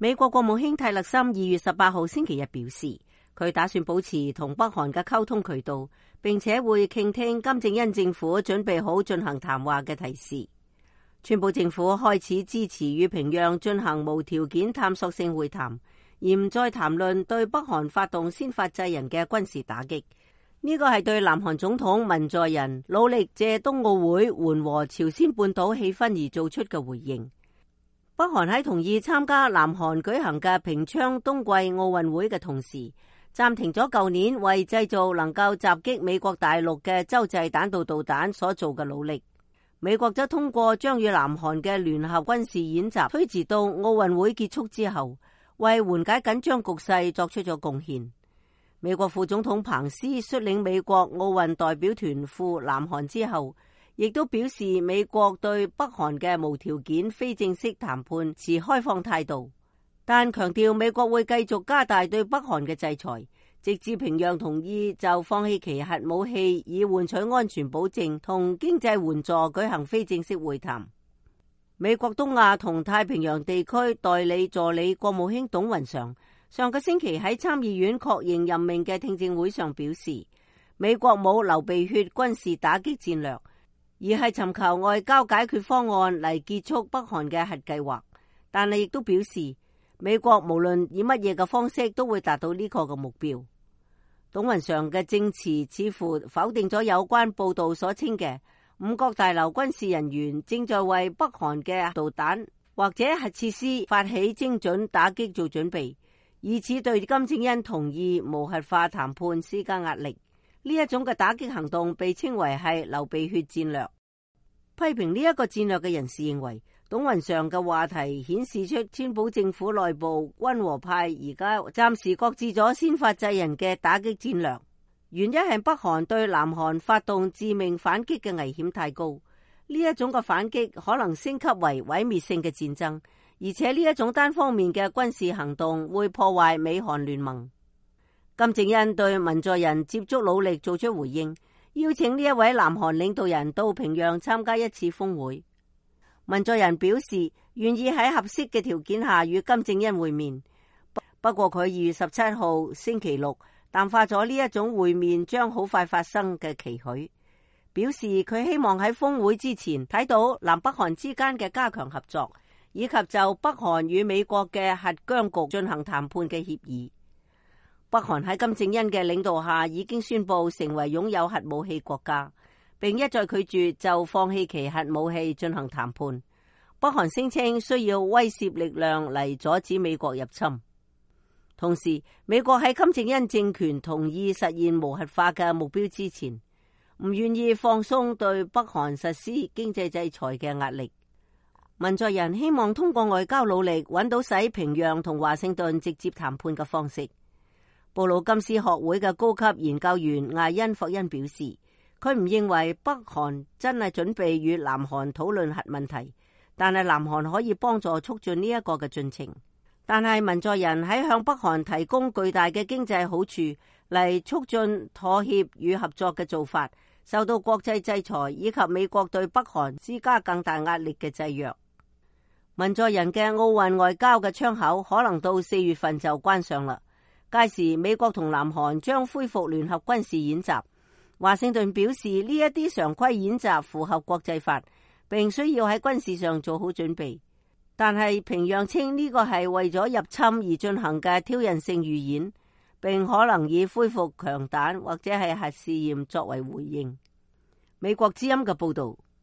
美國國務卿泰勒森2月18號星期日表示，佢打算保持同北韓嘅溝通渠道，並且會傾聽金正恩政府準備好進行談話嘅提示。川普政府開始支持與平壤進行無條件探索性會談，而唔再談論對北韓發動先發制人嘅軍事打擊。呢個係對南韓總統文在寅努力借冬奧會緩和朝鮮半島氣氛而做出嘅回應。北韓喺同意參加南韓舉行嘅平昌冬季奧運會嘅同時，暫停咗舊年為製造能夠襲擊美國大陸嘅洲際彈道導彈所做嘅努力。美國則通過將與南韓嘅聯合軍事演習推遲到奧運會結束之後，為緩解緊張局勢作出咗貢獻。美國副總統彭斯率領美國奧運代表團赴南韓之後，亦都表示美國對北韓嘅無條件非正式談判持開放態度，但強調美國會繼續加大對北韓嘅制裁，直至平壤同意就放棄其核武器以換取安全保證同經濟援助舉行非正式會談。美國東亞同太平洋地區代理助理國務卿董雲常上個星期喺參議院確認任命嘅聽證會上表示，美國冇流鼻血軍事打擊戰略，而係尋求外交解決方案嚟結束北韓嘅核計劃。但係亦都表示，美國無論以乜嘢嘅方式都會達到呢個嘅目標。董雲常嘅證詞似乎否定咗有關報道所稱嘅五角大樓軍事人員正在為北韓嘅導彈或者核設施發起精準打擊做準備，以此對金正恩同意無核化談判施加壓力。呢一種嘅打擊行動被稱為係流鼻血戰略。批評呢一個戰略嘅人士認為，董雲常嘅話題顯示出川普政府內部溫和派而家暫時擱置咗先發制人嘅打擊戰略，原因係北韓對南韓發動致命反擊嘅危險太高。呢一種嘅反擊可能升級為毀滅性嘅戰爭，而且呢一種單方面嘅軍事行動會破壞美韓聯盟。金正恩對文在寅接觸努力做出回應，邀請呢一位南韓領導人到平壤參加一次峰會。文在寅表示願意喺合適嘅條件下與金正恩會面，不過佢2月17號星期六淡化咗呢一種會面將好快發生嘅期許，表示佢希望喺峰會之前睇到南北韓之間嘅加強合作，以及就北韓與美國嘅核僵局進行談判嘅協議。北韓喺金正恩嘅領導下已經宣布成為擁有核武器國家，並一再拒絕就放棄其核武器進行談判。北韓聲稱需要威懾力量嚟阻止美國入侵。同時，美國喺金正恩政權同意實現無核化嘅目標之前，唔願意放鬆對北韓實施經濟制裁嘅壓力。文在寅希望通過外交努力揾到使平壤同華盛頓直接談判嘅方式。布魯金斯學會嘅高級研究員艾恩霍恩表示，佢唔認為北韓真係準備與南韓討論核問題，但係南韓可以幫助促進呢一個嘅進程。但係文在寅喺向北韓提供巨大嘅經濟好處嚟促進妥協與合作嘅做法，受到國際制裁以及美國對北韓施加更大壓力嘅制約。文在寅嘅奧運外交嘅窗口可能到4月份就關上啦。屆時美國同南韓將恢復聯合軍事演習。華盛頓表示呢一啲常規演習符合國際法，並需要喺軍事上做好準備。但係平壤稱呢個係為咗入侵而進行嘅挑釁性預演，並可能以恢復強彈或者係核試驗作為回應。美國之音嘅報道。